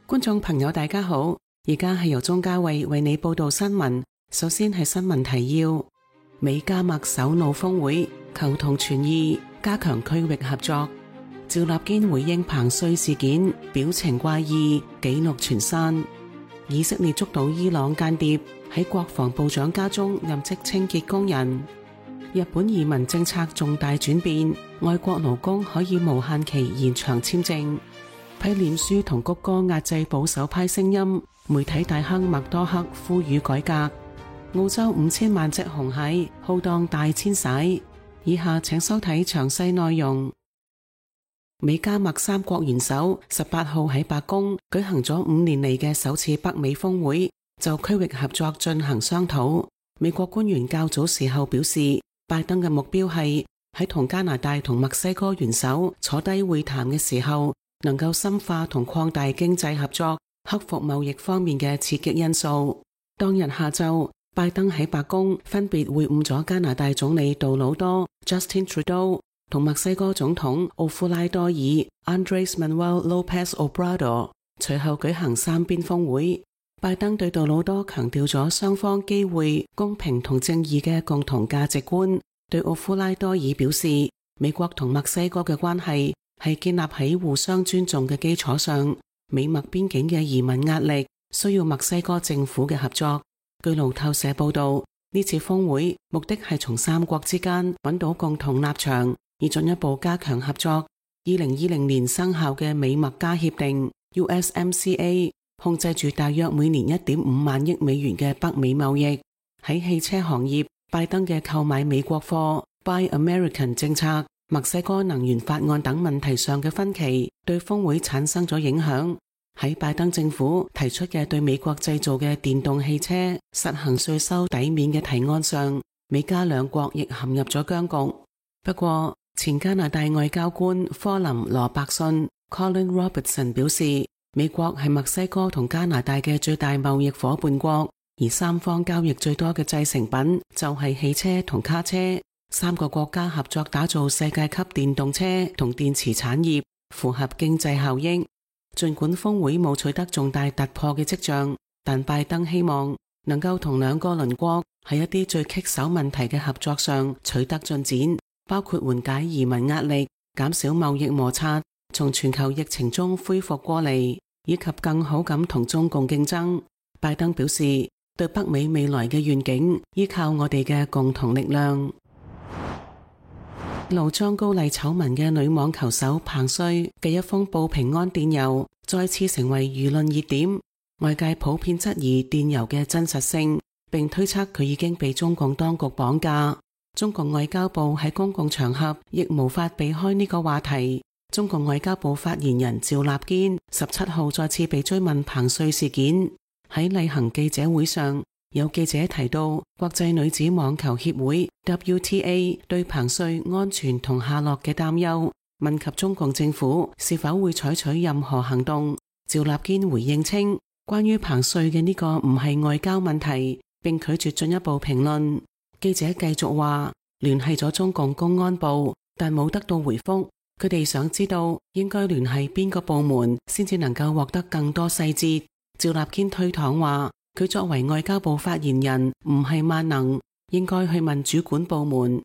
觀眾朋友大家好，而家係由鍾嘉慧為你報道新聞。首先係新聞提要：美加墨首腦峰會，求同存異，加強區域合作。趙立堅回應彭帥事件，表情怪異，紀錄傳刪。以色列捉到伊朗間諜，喺國防部長家中任職清潔工人。日本移民政策重大轉變，外國勞工可以無限期延長簽證。批臉書同谷歌壓制保守派聲音，媒體大亨麥多克呼籲改革。澳洲5000萬隻紅蟹浩蕩大遷徙。以下請收睇詳細內容。美加墨三國元首18號喺白宮舉行咗5年嚟嘅首次北美峰會，就區域合作進行商討。美國官員較早時候表示，拜登嘅目標係喺同加拿大同墨西哥元首坐低會談嘅時候，能夠深化同擴大經濟合作，克服貿易方面嘅刺激因素。當日下晝，拜登喺白宮分別會晤咗加拿大總理杜魯多 Justin Trudeau 同墨西哥總統奧夫拉多爾 Andrés Manuel López Obrador， 隨後舉行三邊峰會。拜登對杜魯多強調咗雙方機會、公平同正義嘅共同價值觀，對奧夫拉多爾表示，美國同墨西哥嘅關係係建立喺互相尊重嘅基礎上，美墨邊境嘅移民壓力需要墨西哥政府嘅合作。據路透社報道，呢次峰會目的係從三國之間揾到共同立場，以進一步加強合作。2020年生效嘅美墨加協定 USMCA 控制住大約每年1.5萬億美元嘅北美貿易。喺汽車行業，拜登嘅購買美國貨 Buy American 政策、墨西哥能源法案等問題上嘅分歧，對峰會產生咗影響。喺拜登政府提出嘅對美國製造嘅電動汽車實行稅收抵免嘅提案上，美加兩國亦陷入咗僵局。不過，前加拿大外交官科林羅伯遜 Colin Robertson 表示，美國係墨西哥同加拿大嘅最大貿易夥伴國，而三方交易最多嘅製成品就係汽車同卡車。三個國家合作打造世界級電動車同電池產業，符合經濟效益。儘管峰會冇取得重大突破嘅跡象，但拜登希望能夠同兩個鄰國喺一啲最棘手問題嘅合作上取得進展，包括緩解移民壓力、減少貿易摩擦、從全球疫情中恢復過嚟，以及更好咁同中共競爭。拜登表示，對北美未來嘅願景依靠我哋嘅共同力量。露裝高麗醜聞嘅女網球手彭帥嘅一封報平安電郵再次成為輿論熱點，外界普遍質疑電郵嘅真實性，並推測佢已經被中共當局綁架。中共外交部喺公共場合亦無法避開呢個話題。中共外交部發言人趙立堅17號再次被追問彭帥事件。喺例行記者會上，有記者提到國際女子網球協會 WTA 對彭帥安全同下落嘅擔憂，問及中共政府是否會採取任何行動。趙立堅回應稱，關於彭帥嘅呢個唔係外交問題，並拒絕進一步評論。記者繼續話，聯繫咗中共公安部，但冇得到回覆。佢哋想知道應該聯繫邊個部門先至能夠獲得更多細節。趙立堅推搪話，佢作為外交部發言人唔係萬能，應該去問主管部門。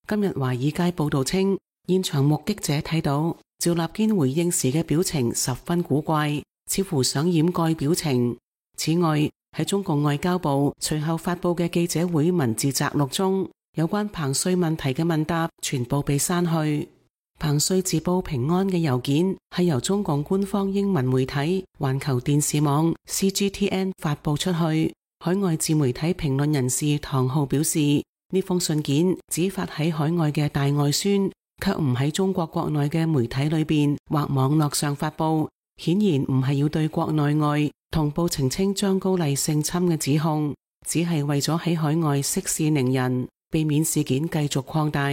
今日華爾街報道稱，現場目擊者睇到趙立堅回應時嘅表情十分古怪，似乎想掩蓋表情。此外，喺中共外交部隨後發佈嘅記者會文字摘錄中，有關彭帥問題嘅問答全部被刪去。彭帥自報平安嘅郵件係由中共官方英文媒體環球電視網 CGTN 發佈出去。海外自媒體評論人士唐浩表示，呢封信件只發喺海外嘅大外宣，卻唔喺中國國內嘅媒體裏邊或網絡上發佈，顯然唔係要對國內外同步澄清張高麗性侵嘅指控，只係為咗喺海外息事寧人，避免事件繼續擴大，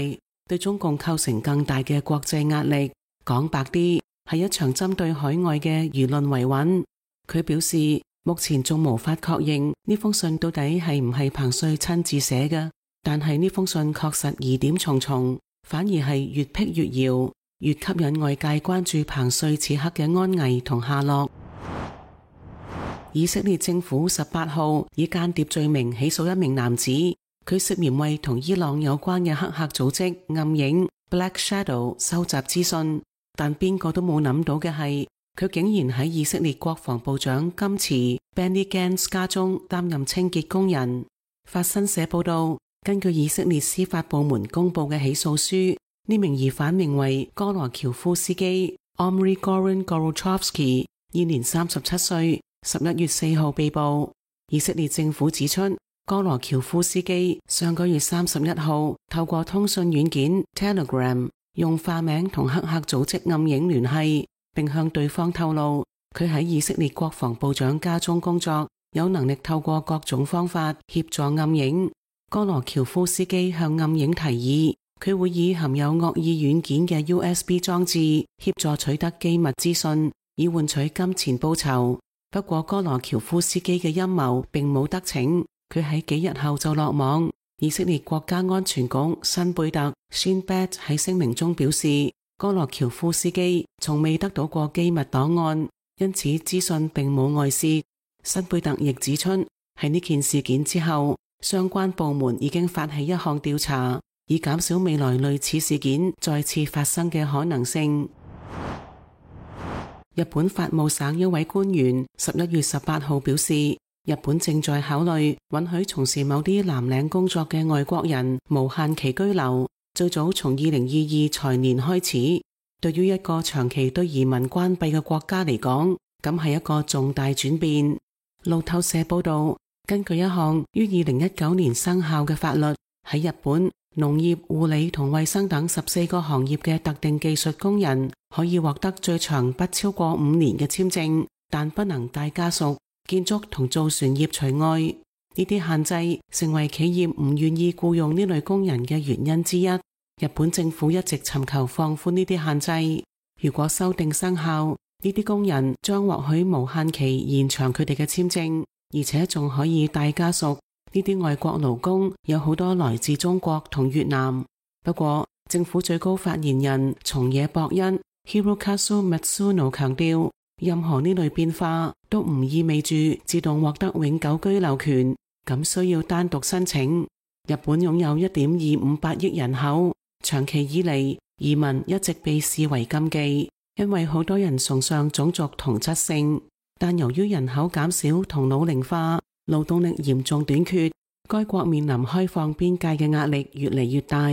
對中共構成更大嘅國際壓力。講白啲，係一場針對海外嘅輿論維穩。佢表示，目前仲無法確認呢封信到底係唔係彭帥親自寫嘅，但係呢封信確實疑點重重，反而係越辟越謠，越吸引外界關注彭帥此刻嘅安危同下落。以色列政府18號以間諜罪名起訴一名男子，佢涉嫌為同伊朗有關嘅黑客組織暗影 Black Shadow 收集資訊，但邊個都冇諗到嘅係，佢竟然喺以色列國防部長甘茨 Benny Gantz 家中擔任清潔工人。法新社報道，根據以色列司法部門公布嘅起訴書，呢名疑犯名為哥羅喬夫斯基 Omri Goran Gorochovsky， 現年37歲，11月4號被捕。以色列政府指出，哥羅喬夫斯基上個月31號透過通訊軟件 Telegram 用化名同黑客組織暗影聯繫，並向對方透露佢喺以色列國防部長家中工作，有能力透過各種方法協助暗影。哥羅喬夫斯基向暗影提議，佢會以含有惡意軟件嘅 USB 裝置協助取得機密資訊，以換取金錢報酬。不過哥羅喬夫斯基嘅陰謀並冇得逞，佢喺幾日後就落網。以色列國家安全局辛貝特 Shin Bet 喺聲明中表示，哥羅喬夫斯基從未得到過機密檔案，因此資訊並冇外泄。辛貝特亦指出，喺呢件事件之後，相關部門已經發起一項調查，以減少未來類似事件再次發生嘅可能性。日本法務省一位官員11月18號表示，日本正在考慮允許從事某啲藍領工作嘅外國人無限期居留，最早從2022財年開始。對於一個長期對移民關閉嘅國家嚟講，咁係一個重大轉變。路透社報道，根據一項於2019年生效嘅法律，喺日本農業、護理同衛生等14個行業嘅特定技術工人可以獲得最長不超過5年嘅簽證，但不能帶家屬，建築同造船業除外。呢啲限制成為企業唔願意僱用呢類工人嘅原因之一。日本政府一直尋求放寬呢啲限制。如果修訂生效，呢啲工人將獲許無限期延長佢哋嘅簽證，而且仲可以帶家屬。呢啲外國勞工有好多來自中國同越南。不過，政府最高發言人松野博一 Hirokazu Matsuno 強調，任何呢類變化都唔意味住自動獲得永久居留權，咁需要單獨申請。日本擁有 1.258 億人口，長期以嚟移民一直被視為禁忌，因為好多人崇尚種族同質性。但由於人口減少同老齡化，勞動力嚴重短缺，該國面臨開放邊界嘅壓力越嚟越大。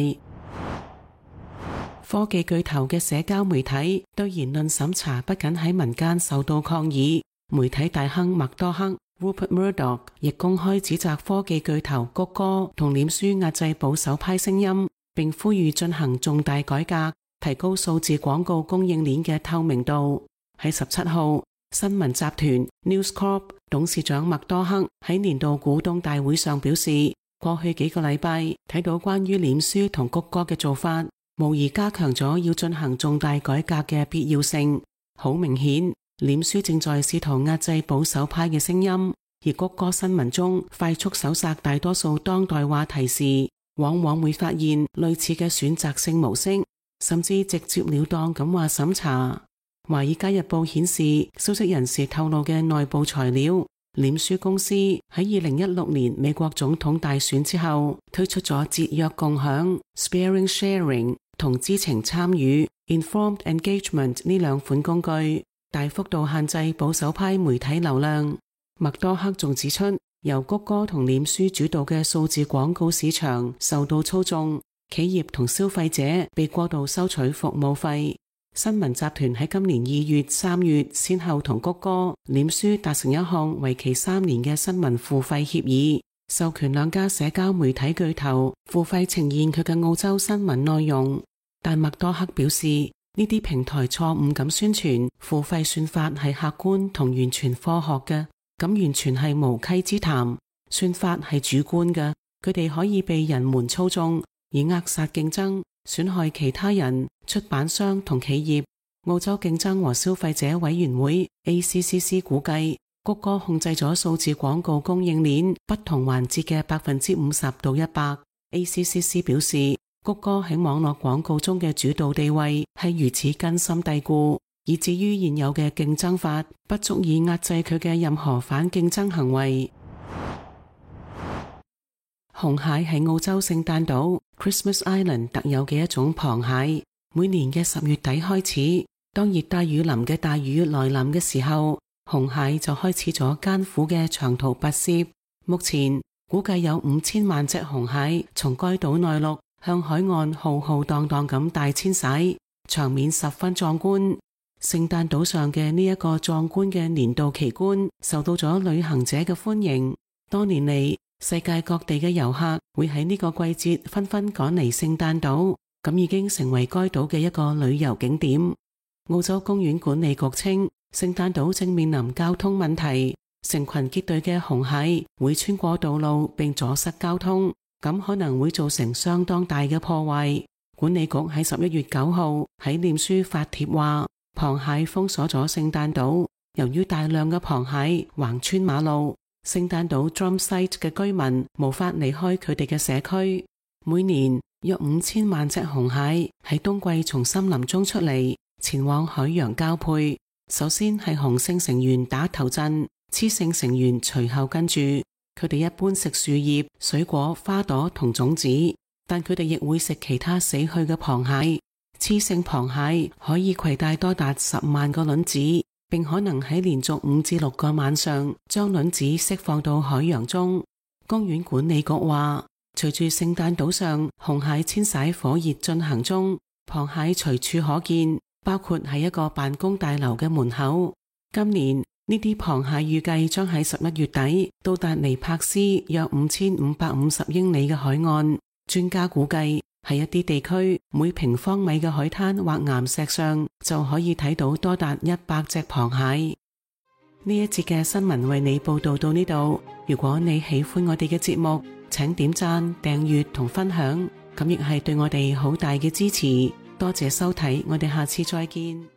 科技巨頭嘅社交媒體對言論審查不僅喺民間受到抗議，媒體大亨麥多克 Rupert Murdoch 亦公開指責科技巨頭谷歌同臉書壓制保守派聲音，並呼籲進行重大改革，提高數字廣告供應鏈嘅透明度。喺17號，新聞集團 News Corp 董事長麥多克喺年度股東大會上表示，過去幾個禮拜睇到關於臉書同谷歌嘅做法，無疑加強咗要進行重大改革嘅必要性。好明顯，臉書正在試圖壓制保守派嘅聲音，而谷歌新聞中快速搜索大多數當代話題時，往往會發現類似嘅選擇性模式，甚至直接了當咁話審查。華爾街日報顯示，消息人士透露嘅內部材料，臉書公司喺2016年美國總統大選之後推出咗節約共享 Sparing Sharing 同知情參與 Informed Engagement 呢兩款工具，大幅度限制保守派媒體流量。麥多克仲指出，由谷歌同臉書主導嘅數字廣告市場受到操縱，企業同消費者被過度收取服務費。新聞集團喺今年2月、3月先後同谷歌、臉書達成一項為期3年嘅新聞付費協議，授權兩家社交媒體巨頭付費呈現佢嘅澳洲新聞內容。但麥多克表示，呢啲平台錯誤咁宣傳付費算法係客觀同完全科學嘅，咁完全係無稽之談。算法係主觀嘅，佢哋可以被人們操縱，以扼殺競爭，損害其他人、出版商同企業。澳洲競爭和消費者委員會 ACCC 估計，谷歌控制咗數字廣告供應鏈不同環節嘅50%到100%。ACCC 表示，谷歌喺網絡廣告中嘅主導地位係如此根深蒂固，以至於現有嘅競爭法不足以壓制佢嘅任何反競爭行為。紅蟹係澳洲聖誕島 Christmas Island 特有嘅一種螃蟹。每年嘅10月底開始，當熱帶雨林嘅大雨來臨嘅時候，紅蟹就開始咗艱苦嘅長途跋涉。目前估計有5000萬隻紅蟹從該島內陸向海岸浩浩蕩蕩咁大遷徙，場面十分壯觀。聖誕島上嘅呢一個壯觀嘅年度奇觀受到咗旅行者嘅歡迎。多年嚟，世界各地嘅遊客會喺呢個季節紛紛趕嚟聖誕島，咁已經成為該島嘅一個旅遊景點。澳洲公園管理局稱，聖誕島正面臨交通問題，成群結隊嘅紅蟹會穿過道路並阻塞交通，咁可能會造成相當大嘅破壞。管理局喺11月9號喺臉書發帖話，螃蟹封鎖咗聖誕島，由於大量嘅螃蟹橫穿馬路，聖誕島 Drum Site 嘅居民無法離開佢哋嘅社區。每年約5000萬隻紅蟹喺冬季從森林中出嚟，前往海洋交配。首先係雄性成員打頭陣，雌性成員隨後跟住。佢哋一般食樹葉、水果、花朵同種子，但佢哋亦會食其他死去嘅螃蟹。雌性螃蟹可以攜帶多達10萬個卵子，並可能喺連續5至6個晚上將卵子釋放到海洋中。公園管理局話，隨住聖誕島上紅蟹遷徙火熱進行中，螃蟹隨處可見，包括喺一個辦公大樓嘅門口。今年呢啲螃蟹預計將喺11月底到達尼柏斯約5550英里嘅海岸。專家估計喺一啲地區，每平方米嘅海灘或岩石上就可以睇到多達100隻螃蟹。呢一節嘅新聞為你報道到呢度。如果你喜歡我哋嘅節目，請點讚、訂閱同分享，咁亦係對我哋好大嘅支持。多謝收睇，我哋下次再見。